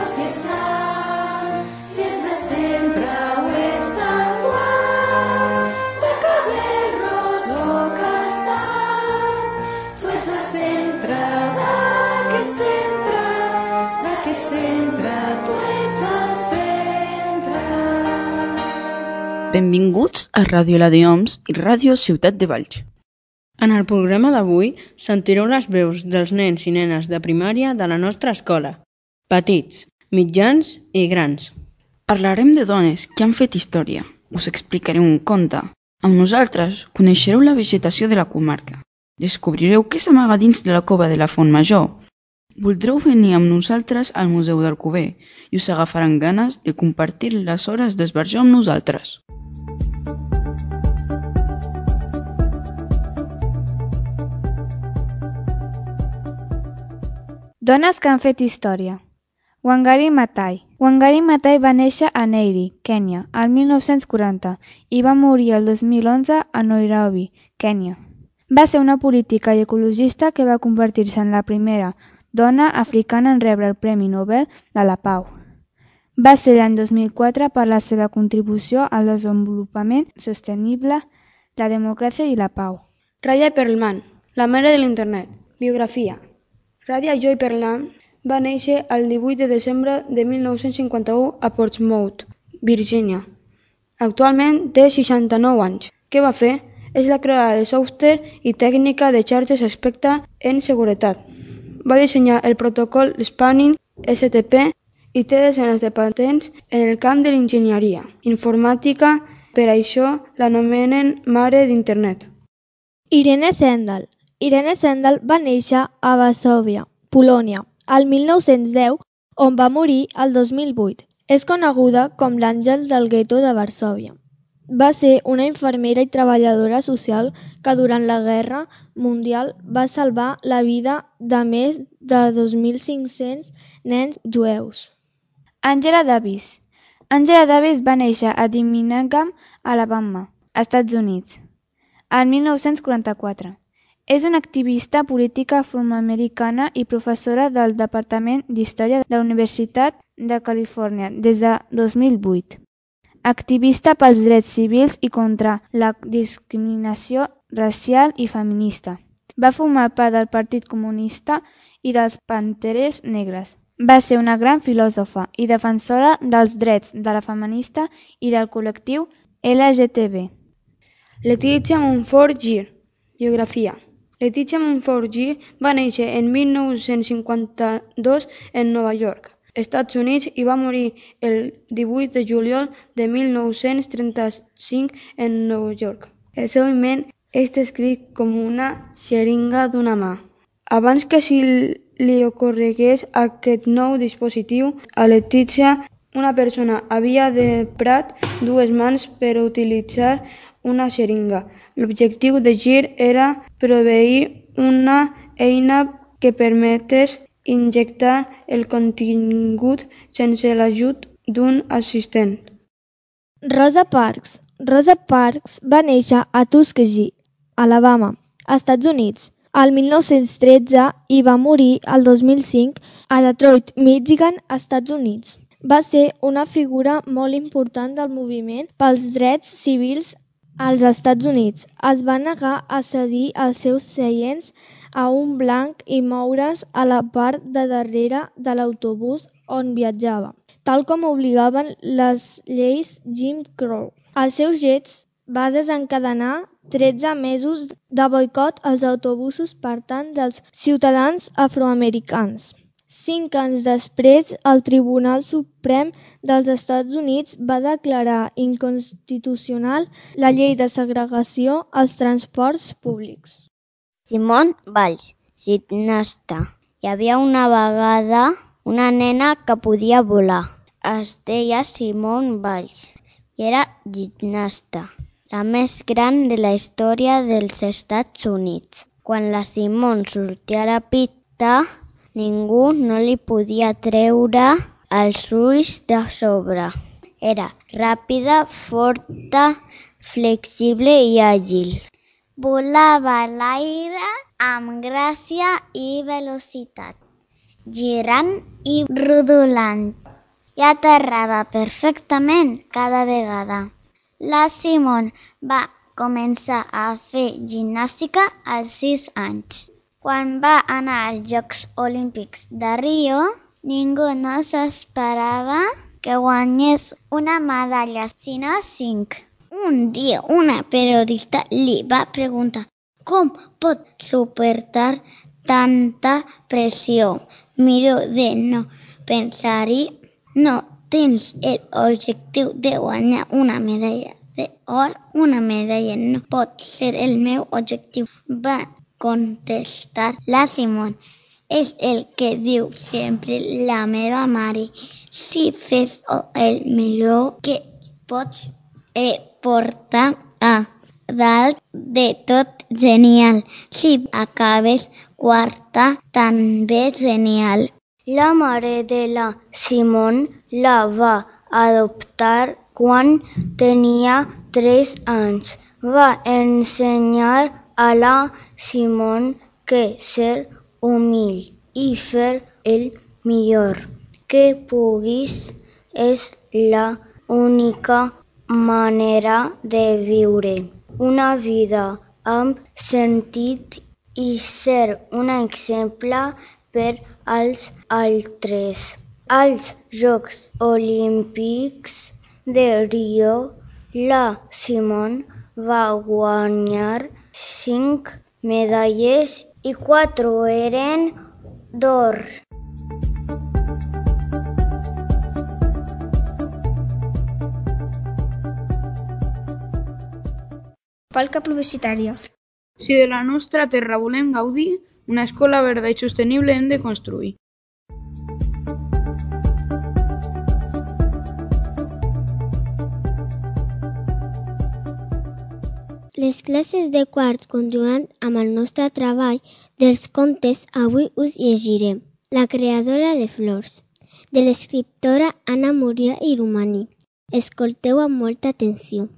si ets gran, si ets de sempre o ets d'enguany, de cabell ros o castany. Tu ets el centre d'aquest centre, tu ets el centre. Benvinguts a Ràdio La de Oms i Ràdio Ciutat de Valls. En el programa d'avui sentireu les veus dels nens i nenes de primària de la nostra escola, petits, mitjans i grans. Parlarem de dones que han fet història, us explicaré un conte. Amb nosaltres coneixereu la vegetació de la comarca, descobrireu què s'amaga dins de la cova de la Font Major. Voldreu venir amb nosaltres al Museu d'Alcover i us agafaran ganes de compartir les hores d'esbarjo amb nosaltres. Dones que han fet història. Wangari Maathai. Wangari Maathai va néixer a Nyeri, Kènia, el 1940 i va morir el 2011 a Nairobi, Kènia. Va ser una política i ecologista que va convertir-se en la primera dona africana en rebre el Premi Nobel de la Pau. Va ser l'any 2004 per la seva contribució al desenvolupament sostenible, la democràcia i la pau. Raya Perlman, la mare de l'internet. Biografia. Radia Joy Perlman va néixer el 18 de desembre de 1951 a Portsmouth, Virgínia. Actualment té 69 anys. Què va fer? És la creadora de software i tècnica de xarxes experta en seguretat. Va dissenyar el protocol Spanning STP i té desenes de patents en el camp de l'enginyeria informàtica, per això l'anomenen mare d'internet. Irene Sendal. Irene Sendal va néixer a Varsòvia, Polònia, el 1910, on va morir el 2008. És coneguda com l'àngel del gueto de Varsòvia. Va ser una infermera i treballadora social que durant la Guerra Mundial va salvar la vida de més de 2.500 nens jueus. Angela Davis. Angela Davis va néixer a Birmingham, Alabama, Estats Units, el 1944. És una activista política afroamericana i professora del Departament d'Història de la Universitat de Califòrnia des de 2008. Activista pels drets civils i contra la discriminació racial i feminista. Va formar part del Partit Comunista i dels Panteres Negres. Va ser una gran filòsofa i defensora dels drets de la feminista i del col·lectiu LGTB. Letizia Mumford-Gir. Biografia. Letizia Mumford-Gir va néixer en 1952 en Nova York, Estats Units, i va morir el 18 de juliol de 1935 en Nova York. El seu invent és descrit com una xeringa d'una mà. Abans que li ocorregués aquest nou dispositiu, a Letizia, una persona havia emprat dues mans per utilitzar una xeringa. L'objectiu de Gir era proveir una eina que permetés injectar el contingut sense l'ajut d'un assistent. Rosa Parks. Rosa Parks va néixer a Tuskegee, Alabama, Estats Units, el 1913 i va morir el 2005 a Detroit, Michigan, Estats Units. Va ser una figura molt important del moviment pels drets civils als Estats Units. Es va negar a cedir els seus seients a un blanc i moure's a la part de darrere de l'autobús on viatjava, tal com obligaven les lleis Jim Crow. Els seus gets va desencadenar 13 mesos de boicot als autobusos per tant dels ciutadans afroamericans. 5 anys després, el Tribunal Suprem dels Estats Units va declarar inconstitucional la llei de segregació als transports públics. Simone Biles, gimnasta. Hi havia una vegada una nena que podia volar. Es deia Simone Biles i era gimnasta, la més gran de la història dels Estats Units. Quan la Simone sortia a la pista, ningú no li podia treure els ulls de sobre. Era ràpida, forta, flexible i àgil. Volava a l'aire amb gràcia i velocitat. girant i rodolant. I aterrava perfectament cada vegada. La Simone va començar a fer gimnàstica als 6 anys. Quan va anar als Jocs Olímpics de Rio, ningú no s'esperava que guanyés una medalla, sinó 5. Un dia una periodista li va preguntar com pot suportar tanta pressió. Miro de no pensar-hi, no tens l'objectiu de guanyar una medalla d'or. Una medalla no pot ser el meu objectiu, va contestar la Simone. És el que diu sempre la meva mare. Si fes el millor que pots portar a dalt de tot, genial. Si acabes quarta, també genial. La mare de la Simone la va adoptar quan tenia 3 anys. Va ensenyar a la Simone que ser humil i fer el millor que puguis és la única manera de viure una vida amb sentit i ser un exemple per als altres. Als Jocs Olímpics de Rio, la Simone va guanyar 5 medalles i 4 eren d'or. Falca publicitària. Si de la nostra terra volem gaudir, una escola verda i sostenible hem de construir. Les classes de quart continuen amb el nostre treball dels contes. Avui us llegirem La creadora de flors, de l'escriptora Anna Maria Irumani. Escolteu amb molta atenció.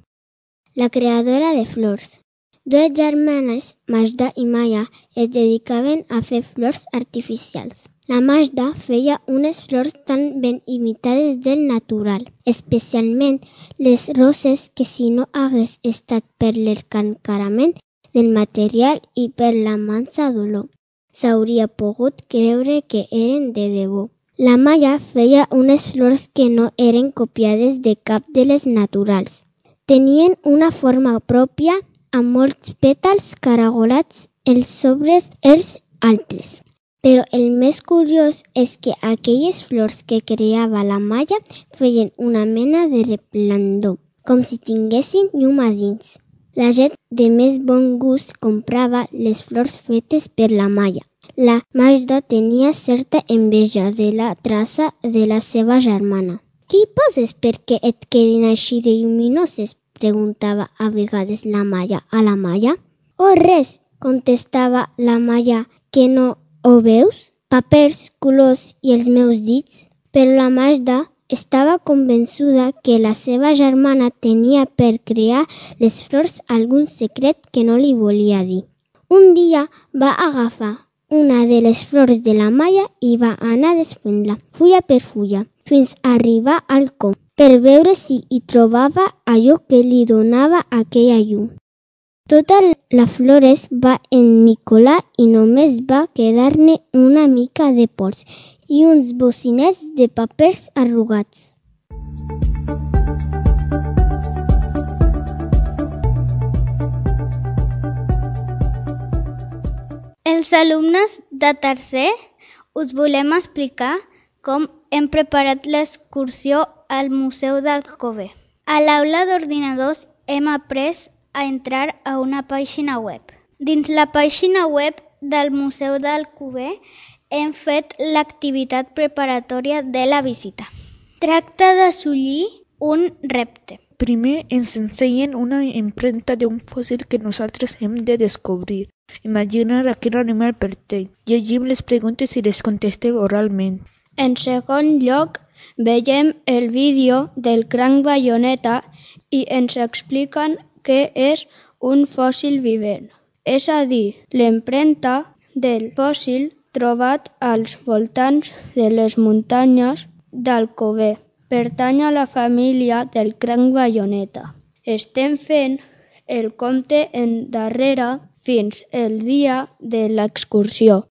La creadora de flors. 2 germanes, Magda i Maya, es dedicaven a fer flors artificials. La Magda feia unes flors tan ben imitades del natural, especialment les roses que si no hagués estat per l'escancarament del material i per la mansa dolor, s'hauria pogut creure que eren de debò. La Maya feia unes flors que no eren copiades de cap de les naturals. Tenien una forma pròpia, amb molts pètals caragolats els sobres els altres. Però el més curiós és que aquelles flors que creava la Maya feien una mena de resplendor, com si tinguessin llum a dins. La gent de més bon gust comprava les flors fetes per la Maya. La Magda tenia certa enveja de la traça de la seva germana. Què hi poses perquè et quedin així de lluminoses? Preguntava a vegades la Maya a la Maya. Oh, res, contestava la Maya, que no ho veus? Papers, colors i els meus dits. Però la Magda estava convençuda que la seva germana tenia per crear les flors algun secret que no li volia dir. Un dia va agafar una de les flors de la Maya i va anar desfent-la, fulla per fulla, fins a arribar al com, per veure si hi trobava allò que li donava aquella llum. Tota la flor es va emmicolar i només va quedar-ne una mica de pols i uns bocinets de papers arrugats. Els alumnes de tercer us volem explicar com hem preparat l'excursió al Museu d'Alcover. A l'aula d'ordinadors hem après a entrar a una pàgina web. Dins la pàgina web del Museu d'Alcover hem fet l'activitat preparatòria de la visita. Tracta d'assolir un repte. Primer ens ensenyen una empremta d'un fòssil que nosaltres hem de descobrir. Imaginar a quin animal pertany. Llegim les preguntes i les contestem oralment. En segon lloc, veiem el vídeo del cranc bayoneta i ens expliquen què és un fòssil vivent. És a dir, l'empremta del fòssil trobat als voltants de les muntanyes d'Alcover. Pertany a la família del cranc baioneta. Estem fent el compte endarrere fins el dia de l'excursió.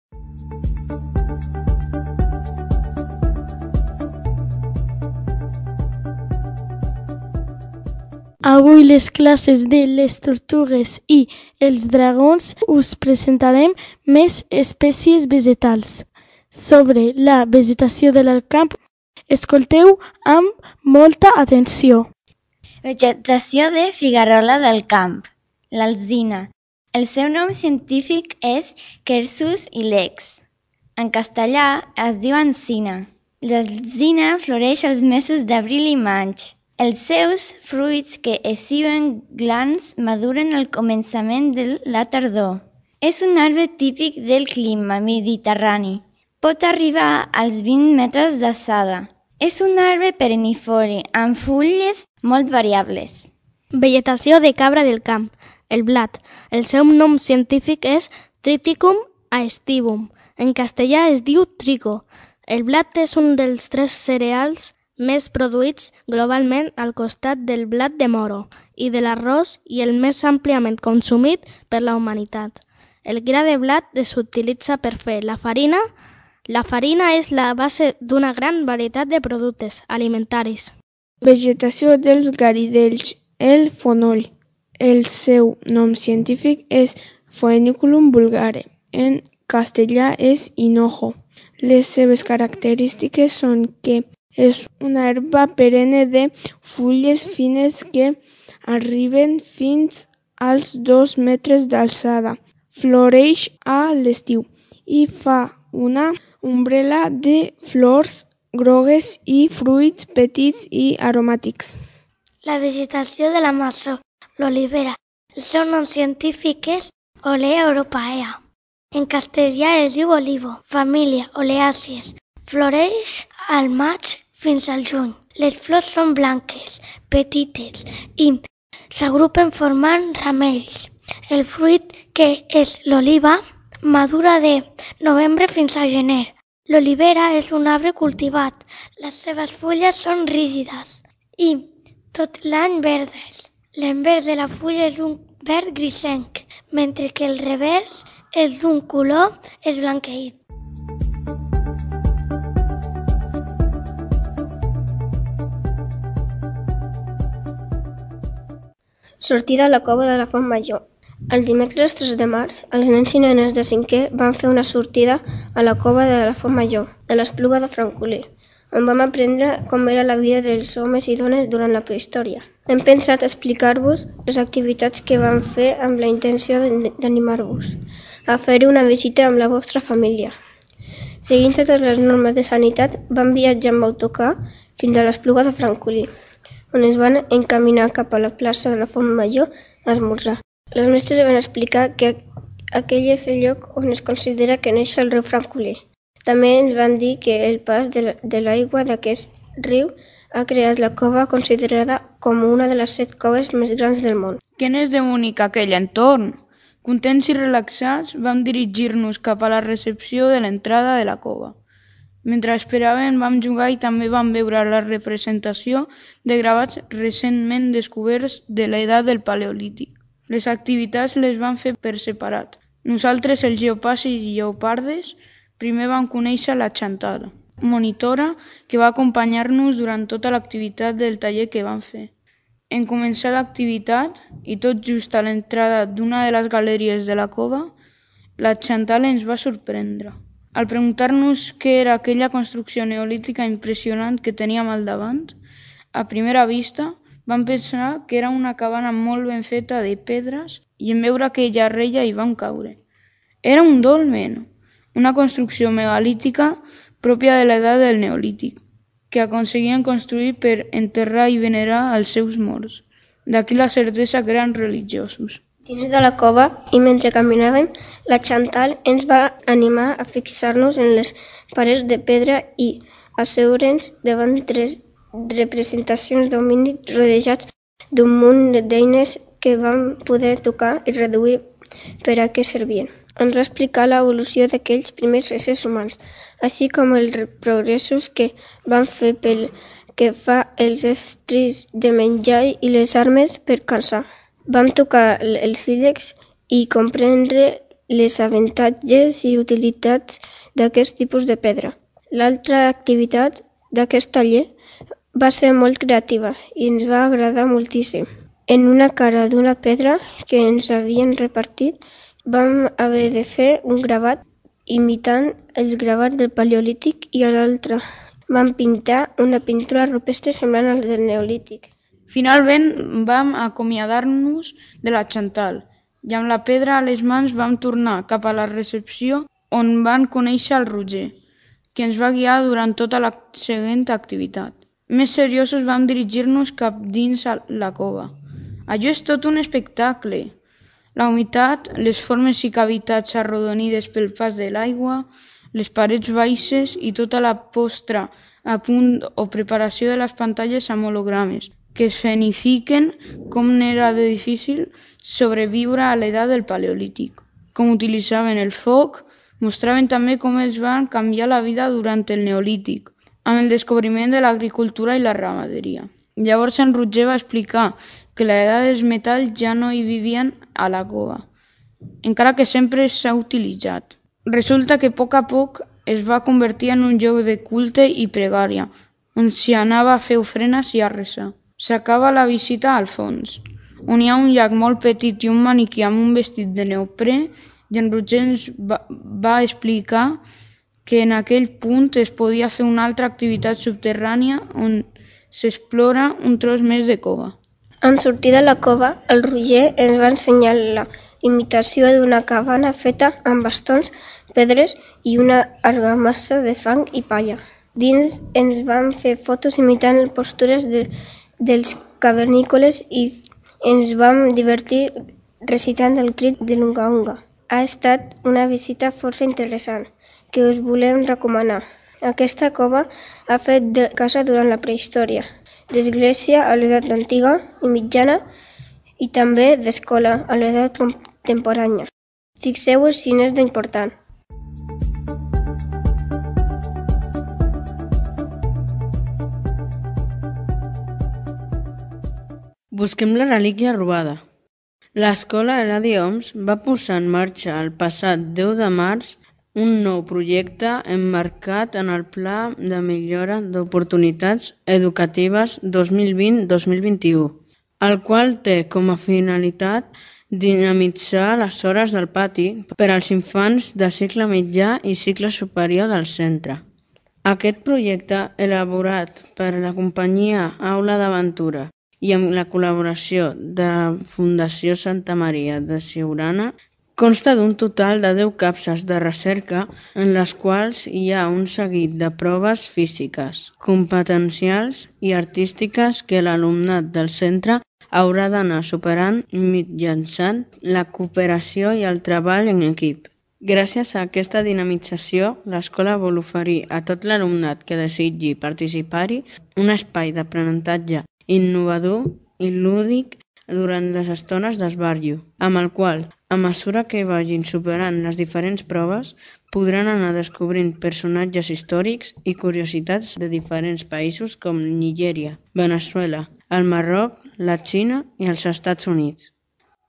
Avui les classes de les tortugues i els dragons us presentarem més espècies vegetals. Sobre la vegetació del camp, escolteu amb molta atenció. Vegetació de figuerola del camp, l'alzina. El seu nom científic és Quercus ilex. En castellà es diu encina. L'alzina floreix als mesos d'abril i maig. Els seus fruits, que es diuen glans, maduren al començament de la tardor. És un arbre típic del clima mediterrani. Pot arribar als 20 metres d'alçada. És un arbre perennifoli, amb fulles molt variables. Vegetació de cabra del camp, el blat. El seu nom científic és Triticum aestivum. En castellà es diu trigo. El blat és un dels 3 cereals més produïts globalment al costat del blat de moro i de l'arròs i el més àmpliament consumit per la humanitat. El gra de blat s'utilitza per fer la farina. La farina és la base d'una gran varietat de productes alimentaris. Vegetació dels garidells, el fonoll. El seu nom científic és Phoenicum vulgare. En castellà és hinojo. Les seves característiques són que és una herba perenne de fulles fines que arriben fins als 2 metres d'alçada. Floreix a l'estiu i fa una ombrel·la de flors grogues i fruits petits i aromàtics. La vegetació de la maçó, l'olivera. El seu nom científic és Olea europaea. En castellà es diu olivo, família Oleàcies. Floreix al maig fins al juny. Les flors són blanques, petites i s'agrupen formant ramells. El fruit, que és l'oliva, madura de novembre fins a gener. L'olivera és un arbre cultivat. Les seves fulles són rígides i tot l'any verdes. L'envers de la fulla és un verd grisenc, mentre que el revers és d'un color esblanqueït. Sortida a la cova de la Font Major. El dimecres 3 de març, els nens i nenes de 5è van fer una sortida a la cova de la Font Major, de l'Espluga de Francolí, on vam aprendre com era la vida dels homes i dones durant la prehistòria. Hem pensat explicar-vos les activitats que vam fer amb la intenció d'animar-vos a fer una visita amb la vostra família. Seguint totes les normes de sanitat, vam viatjar amb autocar fins a l'Espluga de Francolí, on es van encaminar cap a la plaça de la Font Major a esmorzar. Les mestres van explicar que aquell és el lloc on es considera que neix el riu Francolí. També ens van dir que el pas de l'aigua d'aquest riu ha creat la cova considerada com una de les 7 coves més grans del món. Què n'és de bonic aquell entorn? Contents i relaxats, vam dirigir-nos cap a la recepció de l'entrada de la cova. Mentre esperàvem vam jugar i també vam veure la representació de gravats recentment descoberts de l'edat del Paleolític. Les activitats les van fer per separat. Nosaltres, els lleopards i lleopardes, primer vam conèixer la Chantal, monitora que va acompanyar-nos durant tota l'activitat del taller que vam fer. En començar l'activitat, i tot just a l'entrada d'una de les galeries de la cova, la Chantal ens va sorprendre. Al preguntar-nos què era aquella construcció neolítica impressionant que teníem al davant, a primera vista vam pensar que era una cabana molt ben feta de pedres i en veure aquella reia hi vam caure. Era un dolmen, una construcció megalítica pròpia de l'edat del Neolític, que aconseguien construir per enterrar i venerar els seus morts. D'aquí la certesa que eren religiosos. Dins de la cova, i mentre caminàvem, la Chantal ens va animar a fixar-nos en les parets de pedra i asseure'ns davant 3 representacions d'homínids rodejats d'un munt d'eines que vam poder tocar i reduir per a què servien. Ens va explicar l'evolució d'aquells primers éssers humans, així com els progressos que van fer pel que fa als estris de menjar i les armes per caçar. Vam tocar els sílex i comprendre les avantatges i utilitats d'aquest tipus de pedra. L'altra activitat d'aquest taller va ser molt creativa i ens va agradar moltíssim. En una cara d'una pedra que ens havien repartit, vam haver de fer un gravat imitant el gravat del Paleolític i a l'altra vam pintar una pintura rupestre semblant al del Neolític. Finalment vam acomiadar-nos de la Chantal i amb la pedra a les mans vam tornar cap a la recepció on van conèixer el Roger, que ens va guiar durant tota la següent activitat. Més seriosos vam dirigir-nos cap dins la cova. Allò és tot un espectacle. La humitat, les formes i cavitats arrodonides pel pas de l'aigua, les parets baixes i tota la postra a punt o preparació de les pantalles amb hologrames, que escenifiquen com n'era de difícil sobreviure a l'edat del Paleolític, com utilitzaven el foc, mostraven també com els van canviar la vida durant el Neolític, amb el descobriment de l'agricultura i la ramaderia. Llavors en Roger va explicar que a l'edat dels metalls ja no hi vivien a la cova, encara que sempre s'ha utilitzat. Resulta que a poc es va convertir en un lloc de culte i pregària, on s'hi anava a fer ofrenes i a resar. S'acaba la visita al fons, on hi ha un llac molt petit i un maniquí amb un vestit de neoprè, i en Roger ens va explicar que en aquell punt es podia fer una altra activitat subterrània on s'explora un tros més de cova. En sortir de la cova, el Roger ens va ensenyar la imitació d'una cabana feta amb bastons, pedres i una argamassa de fang i palla. Dins ens vam fer fotos imitant les postures dels cavernícoles i ens vam divertir recitant el crit de l'unga unga. Ha estat una visita força interessant que us volem recomanar. Aquesta cova ha fet de casa durant la prehistòria, d'església a l'edat antiga i mitjana i també d'escola a l'edat contemporània. Fixeu-vos si n'és d'important. Busquem la relíquia robada. L'escola Eladi Homs va posar en marxa el passat 10 de març un nou projecte emmarcat en el Pla de Millora d'Oportunitats Educatives 2020-2021, el qual té com a finalitat dinamitzar les hores del pati per als infants de cicle mitjà i cicle superior del centre. Aquest projecte, elaborat per la companyia Aula d'Aventura i amb la col·laboració de la Fundació Santa Maria de Siurana, consta d'un total de 10 capses de recerca en les quals hi ha un seguit de proves físiques, competencials i artístiques que l'alumnat del centre haurà d'anar superant mitjançant la cooperació i el treball en equip. Gràcies a aquesta dinamització, l'escola vol oferir a tot l'alumnat que desitgi participar-hi un espai d'aprenentatge innovador i lúdic durant les estones d'esbarjo, amb el qual, a mesura que vagin superant les diferents proves, podran anar descobrint personatges històrics i curiositats de diferents països com Nigèria, Veneçuela, el Marroc, la Xina i els Estats Units.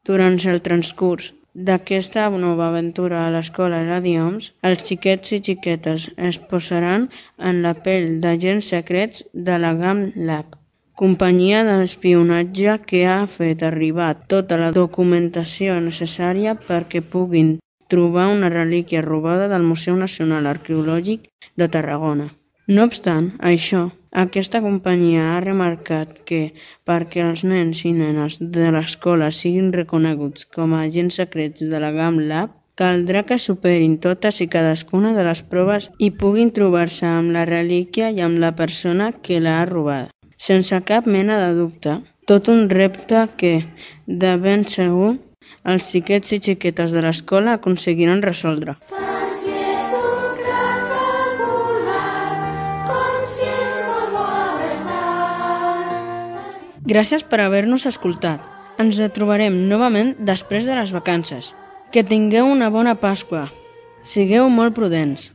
Durant el transcurs d'aquesta nova aventura a l'escola Eladi Homs, els xiquets i xiquetes es posaran en la pell d'agents secrets de la GAM Lab, companyia d'espionatge que ha fet arribar tota la documentació necessària perquè puguin trobar una relíquia robada del Museu Nacional Arqueològic de Tarragona. No obstant això, aquesta companyia ha remarcat que, perquè els nens i nenes de l'escola siguin reconeguts com a agents secrets de la GAM Lab, caldrà que superin totes i cadascuna de les proves i puguin trobar-se amb la relíquia i amb la persona que l'ha robada. Sense cap mena de dubte, tot un repte que, de ben segur, els xiquets i xiquetes de l'escola aconseguiran resoldre. Tant si és un gran calcular, com si és molt bo abraçar. Gràcies per haver-nos escoltat. Ens retrobarem novament després de les vacances. Que tingueu una bona Pasqua. Sigueu molt prudents.